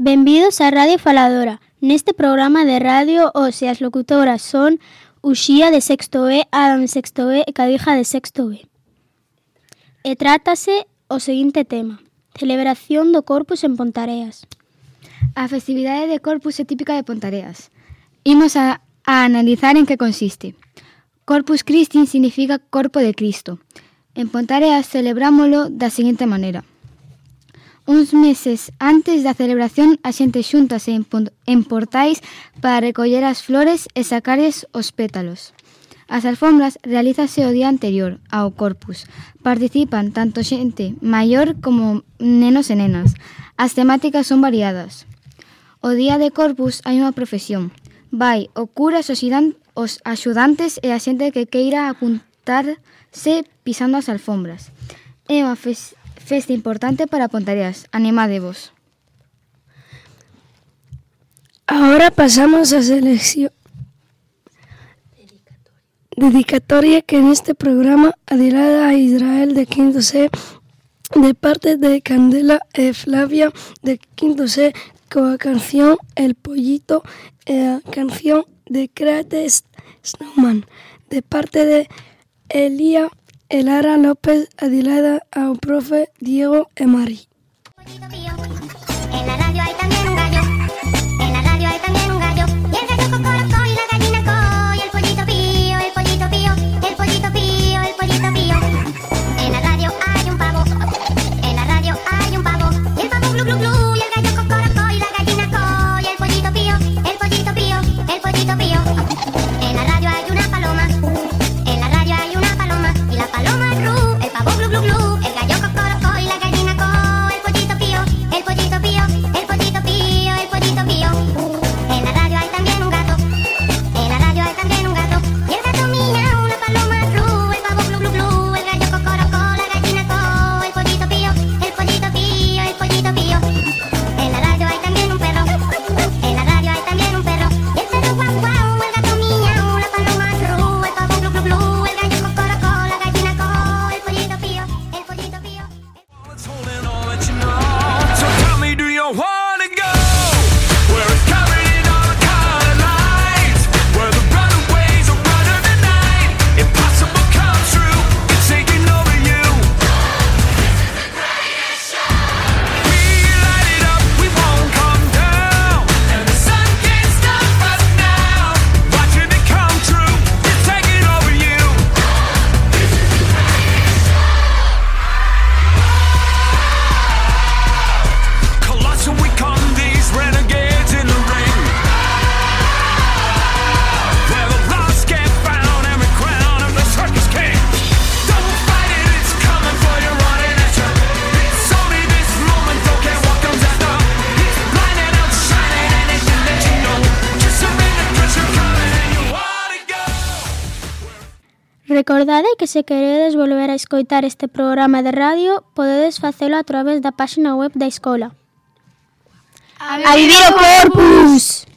Benvidos á Radio Faladora. Neste programa de radio, hoxe as locutoras son Uxía de sexto B, Adam de sexto B e Cadija de sexto B. E trátase o seguinte tema: celebración do Corpus en Pontareas. A festividade de Corpus é típica de Pontareas. Imos a analizar en que consiste. Corpus Christi significa Corpo de Cristo. En Pontareas celebrámolo da seguinte maneira. Uns meses antes da celebración, a xente xúntase en portais para recoller as flores e sacarles os pétalos. As alfombras realízase o día anterior ao Corpus. Participan tanto xente maior como nenos e nenas. As temáticas son variadas. O día de Corpus hai unha profesión. Vai o cura, os axudantes e a xente que queira apuntarse pisando as alfombras. É unha festa importante para Pontareas. Animádevos. Ahora pasamos a selección dedicatoria que neste programa adilada a Israel de quinto C de parte de Candela e Flavia de quinto C coa canción El Pollito e a canción de Créate Snowman de parte de Elía e Lara López adilada ao profe Diego e Mari. En la radio hay también un gallo, en la radio hay también un gallo, y el gallo cocorocó y la gallina co, y el pollito pío, el pollito pío, el pollito pío, el pollito pío. En la radio hay un pavo, en la radio hay un pavo, y el pavo glu glu glu, y el gallo cocorocó y la gallina co, y el pollito pío, el pollito pío, el pollito pío. En la radio hay una paloma, en la radio hay una paloma, y la paloma ru, el pavo glu glu glu, el gallo cocorocó y la gallina co, el pollito pío, el pollito pío, el pollito pío, el pollito pío. En la radio hay también un gato, en la radio hay también un gato, y el gato miau, la paloma ru, el pavo glu glu glu, el gallo cocorocó, la gallina co, el pollito pío, el pollito pío, el pollito pío. En la radio hay también un perro, en la radio hay también un perro, y el perro guau guau, el gato miau, la paloma ru, el pavo glu glu glu, el gallo cocorocó, la gallina co, el pollito pío, el pollito pío. It's holding all that you know. So tell me, do you wanna go where it's covered in all the colored lights, where the runaways are running the night? Impossible comes true, it's taking over you. We light it up, we won't come down, and the sun can't stop us now. Watching it come true, it's taking over you. Colossal, we come these renegades in the ring, where the lost get found, every crown of the circus king. Don't fight it, it's coming for you, running at you. It's only this moment, don't care what comes after. It's blinding, outshining anything that you know. Just surrender, 'cause you're coming and you wanna go. Recordade que se queredes volver a escoitar este programa de radio, podedes facelo a través da páxina web da escola. ¡A vivir o Corpus!